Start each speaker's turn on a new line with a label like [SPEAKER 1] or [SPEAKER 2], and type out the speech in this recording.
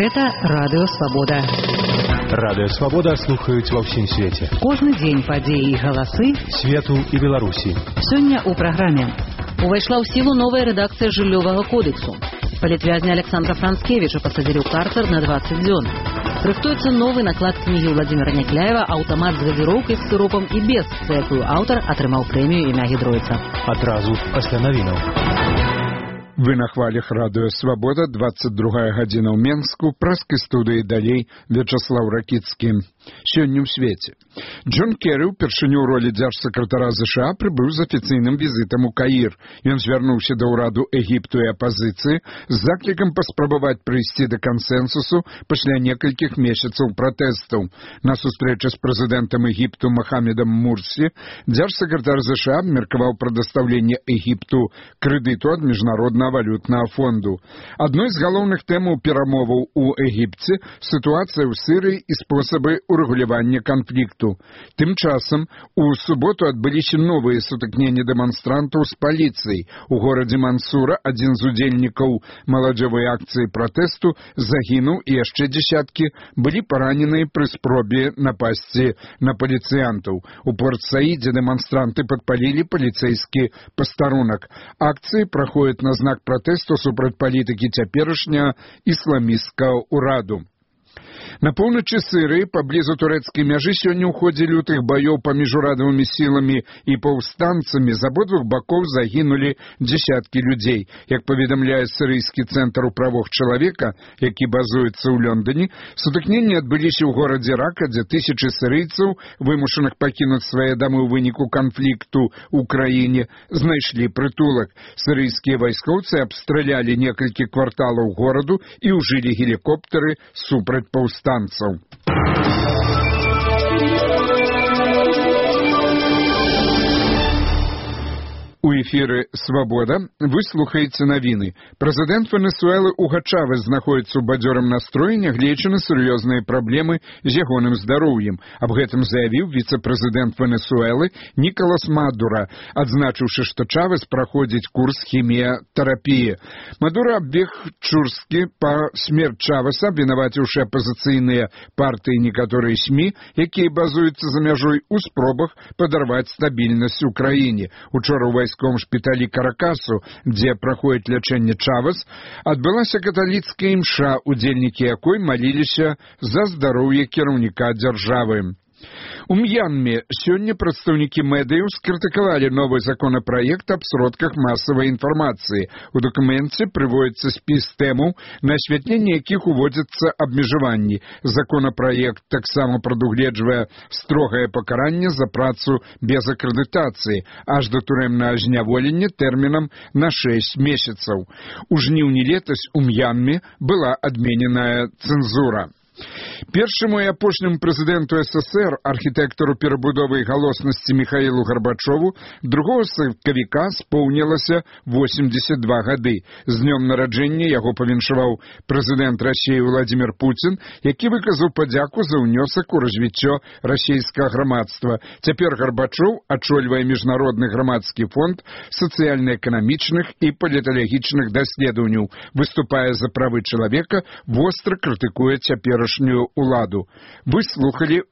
[SPEAKER 1] Гэта Радыё Свабода.
[SPEAKER 2] Радыё Свабода слухаюць ва ўсім свеце.
[SPEAKER 1] Кожны дзень падзеі і галасы
[SPEAKER 2] свету і Беларусі.
[SPEAKER 1] Сёння ў праграме. Увайшла ў сілу новая рэдакцыя жыллёвага кодексу. Палітвязня Александра Францкевіча пасадзілі ў карцер на 20 дзён. Рыхтуецца новы наклад кнігі Владимира Някляева «Аўтамат з газіроўкай з сыропам і без», за якую аўтар атрымаў прэмію імя Гідройца.
[SPEAKER 2] Адразу пасля навінаў.
[SPEAKER 3] Вы на хвалях Радыё Свабода, 22 гадзіна ў Менску, праскай студыі далей Вячаслаў Ракіцкі. Сёння ў свеце. Джон Керры ўпершыню ў ролі дзяржсакратара ЗША прыбыў з афіцыйным візітам у Каір. Ён звярнуўся да ўраду Егіпту і апазіцыі з заклікам паспрабаваць прыйсці да кансэнсусу пасля некалькіх месяцаў пратэстаў. На сустрэчы з прэзідэнтам Егіпту Мохамедам Мурсі дзяржсакратар ЗША абмеркаваў прадастаўленне Егіпту крэдыту ад міжнароднага валютнага фонду. Адной з галоўных тэмаў перамоваў у Егіпце сітуацыя ў Сірыі і спосабы урэгулявання канфлікту. Тым часам у суботу адбыліся новыя сутыкненні дэманстрантаў з паліцыяй. У горадзе Мансура адзін з удзельнікаў маладзёвай акцыі пратэсту загінуў і яшчэ дзесяткі былі параненыя пры спробе напасці на паліцыянтаў. У Порт-Саіде дэманстранты падпалілі паліцэйскі пастарунак. Акцыі праходзяць на знак пратэсту супраць палітыкі цяперашняга ісламісцкага ўраду. На поўначы Сірыі, паблізу турэцкай мяжы, сёння ў ходзе лютых баёў паміж урадавымі сіламі і паўстанцамі з абодвух бакоў загінулі дзесяткі людзей. Як паведамляе сірыйскі цэнтр у правах чалавека, які базуецца ў Лондоне, сутыкненні адбыліся ў горадзе Рака, дзе тысячы сірыйцаў, вымушаных пакінуць свае дамы ў выніку канфлікту ў краіне, знайшлі прытулак. Сірыйскія вайскоўцы абстралялі некалькі кварталаў гораду і ўжылі гелікоптары супраць паўстанцаў. У эфіры «Свабода» вы слухаеце навіны. Прэзідэнт Венесуэлы Уго Чавес знаходзіцца ў бадзёрым настроі, нягледзячы на сур'ёзныя праблемы з ягоным здароўем. Аб гэтым заявіў віцэ-прэзідэнт Венесуэлы Нікалас Мадура, адзначыўшы, што Чавес праходзіць курс хіміятэрапіі. Мадура абвег Чурскі па смерць Чавеса, абвінаваціўшы апазіцыйныя партыі некаторыя СМІ, якія базуюцца за мяжой у спробах падарваць стабільнасць у краіне. Учора ў вайсковым шпіталі Каракасу, дзе праходзіць лячэнне Чавес, адбылася каталіцкая імша, удзельнікі якой маліліся за здароўе кіраўніка дзяржавы. У М'янме сёння прадстаўнікі медыяў скрытыкавалі новы законапраект аб сродках масавай інфармацыі. У дакуменце прыводзіцца спіс тэмаў, на асвятленне якіх уводзяцца абмежаванні. Законапраект таксама прадугледжвае строгае пакаранне за працу без акрэдытацыі, аж да турэмнага зняволення тэрмінам на 6 месяцаў. У жніўні летась у М'янме была адмененая цэнзура. Першаму і апошняму прэзідэнту СССР, архітэктару перабудовы і галоснасці Міхаілу Гарбачову, 2 сакавіка споўнілася 82 гады. З днём нараджэння яго павіншаваў прэзідэнт Расіі Владимир Путін, які выказаў падзяку за ўнёсак у развіццё расійскага грамадства. Цяпер Гарбачоў ачольвае міжнародны грамадскі фонд сацыяльна-эканамічных і паліталагічных даследаванняў, выступае за правы чалавека, востра крытыкуе цяперашнюю уладу. Вы слухали